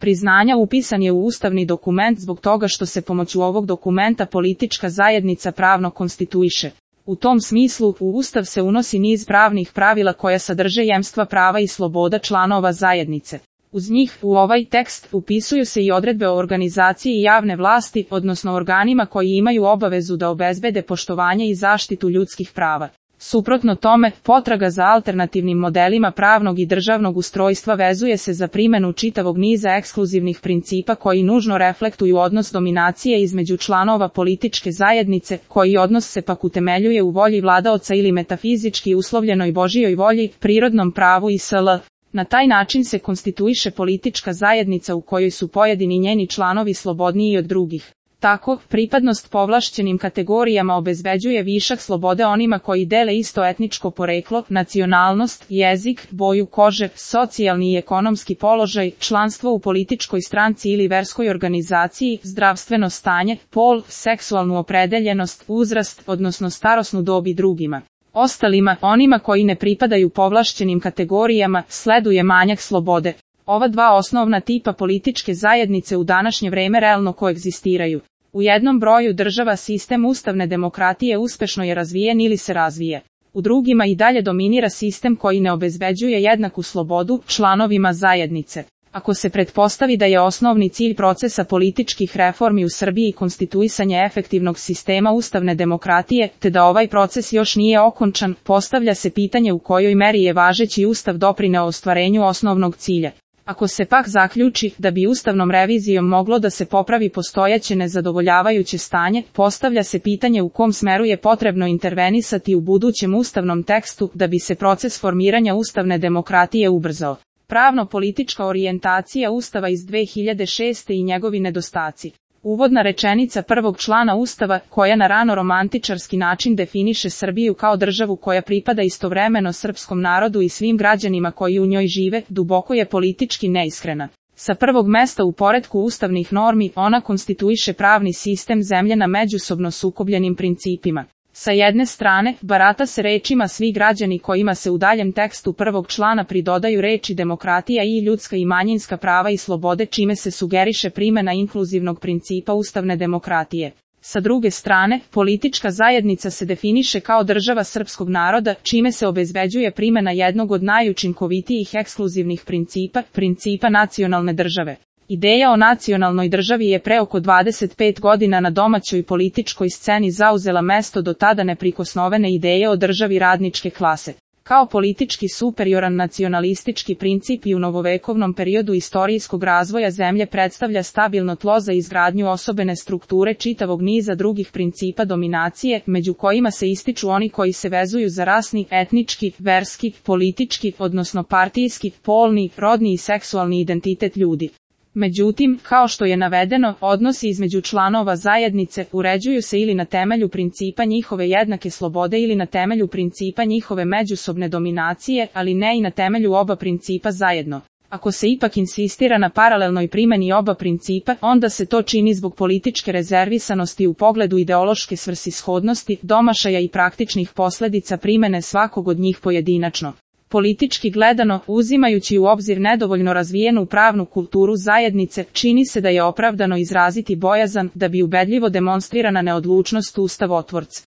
priznanja upisan je u ustavni dokument zbog toga što se pomoću ovog dokumenta politička zajednica pravno konstituiše. U tom smislu, u Ustav se unosi niz pravnih pravila koja sadrže jemstva prava i sloboda članova zajednice. Uz njih, u ovaj tekst, upisuju se i odredbe o organizaciji javne vlasti, odnosno organima koji imaju obavezu da obezbede poštovanje i zaštitu ljudskih prava. Suprotno tome, potraga za alternativnim modelima pravnog i državnog ustrojstva vezuje se za primjenu čitavog niza ekskluzivnih principa koji nužno reflektuju odnos dominacije između članova političke zajednice, koji odnos se pak utemeljuje u volji vladaoca ili metafizički uslovljenoj Božijoj volji, prirodnom pravu i sl. Na taj način se konstituiše politička zajednica u kojoj su pojedini njeni članovi slobodniji od drugih. Tako, pripadnost povlašćenim kategorijama obezbeđuje višak slobode onima koji dele isto etničko poreklo, nacionalnost, jezik, boju kože, socijalni i ekonomski položaj, članstvo u političkoj stranci ili verskoj organizaciji, zdravstveno stanje, pol, seksualnu opredeljenost, uzrast, odnosno starosnu dob i drugima. Ostalima, onima koji ne pripadaju povlašćenim kategorijama, sleduje manjak slobode. Ova dva osnovna tipa političke zajednice u današnje vreme realno koegzistiraju. U jednom broju država sistem ustavne demokratije uspešno je razvijen ili se razvije. U drugima i dalje dominira sistem koji ne obezbeđuje jednaku slobodu članovima zajednice. Ako se pretpostavi da je osnovni cilj procesa političkih reformi u Srbiji konstituisanje efektivnog sistema ustavne demokratije, te da ovaj proces još nije okončan, postavlja se pitanje u kojoj meri je važeći ustav doprineo ostvarenju osnovnog cilja. Ako se pak zaključi da bi ustavnom revizijom moglo da se popravi postojeće nezadovoljavajuće stanje, postavlja se pitanje u kom smeru je potrebno intervenisati u budućem ustavnom tekstu da bi se proces formiranja ustavne demokratije ubrzao. Pravno-politička orijentacija Ustava iz 2006. i njegovi nedostaci. Uvodna rečenica prvog člana Ustava, koja na rano romantičarski način definiše Srbiju kao državu koja pripada istovremeno srpskom narodu i svim građanima koji u njoj žive, duboko je politički neiskrena. Sa prvog mesta u poretku ustavnih normi, ona konstituiše pravni sistem zemlje na međusobno sukobljenim principima. Sa jedne strane, barata se rečima svi građani kojima se u daljem tekstu prvog člana pridodaju reči demokratija i ljudska i manjinska prava i slobode čime se sugeriše primjena inkluzivnog principa ustavne demokratije. Sa druge strane, politička zajednica se definiše kao država srpskog naroda, čime se obezbeđuje primjena jednog od najučinkovitijih ekskluzivnih principa nacionalne države. Ideja o nacionalnoj državi je pre oko 25 godina na domaćoj političkoj sceni zauzela mesto do tada neprikosnovene ideje o državi radničke klase. Kao politički superioran nacionalistički princip i u novovekovnom periodu istorijskog razvoja zemlje predstavlja stabilno tlo za izgradnju osobene strukture čitavog niza drugih principa dominacije, među kojima se ističu oni koji se vezuju za rasni, etnički, verski, politički, odnosno partijski, polni, rodni i seksualni identitet ljudi. Međutim, kao što je navedeno, odnosi između članova zajednice uređuju se ili na temelju principa njihove jednake slobode ili na temelju principa njihove međusobne dominacije, ali ne i na temelju oba principa zajedno. Ako se ipak insistira na paralelnoj primjeni oba principa, onda se to čini zbog političke rezervisanosti u pogledu ideološke svrsishodnosti, domašaja i praktičnih posljedica primjene svakog od njih pojedinačno. Politički gledano, uzimajući u obzir nedovoljno razvijenu pravnu kulturu zajednice, čini se da je opravdano izraziti bojazan da bi ubedljivo demonstrirana neodlučnost ustavotvorca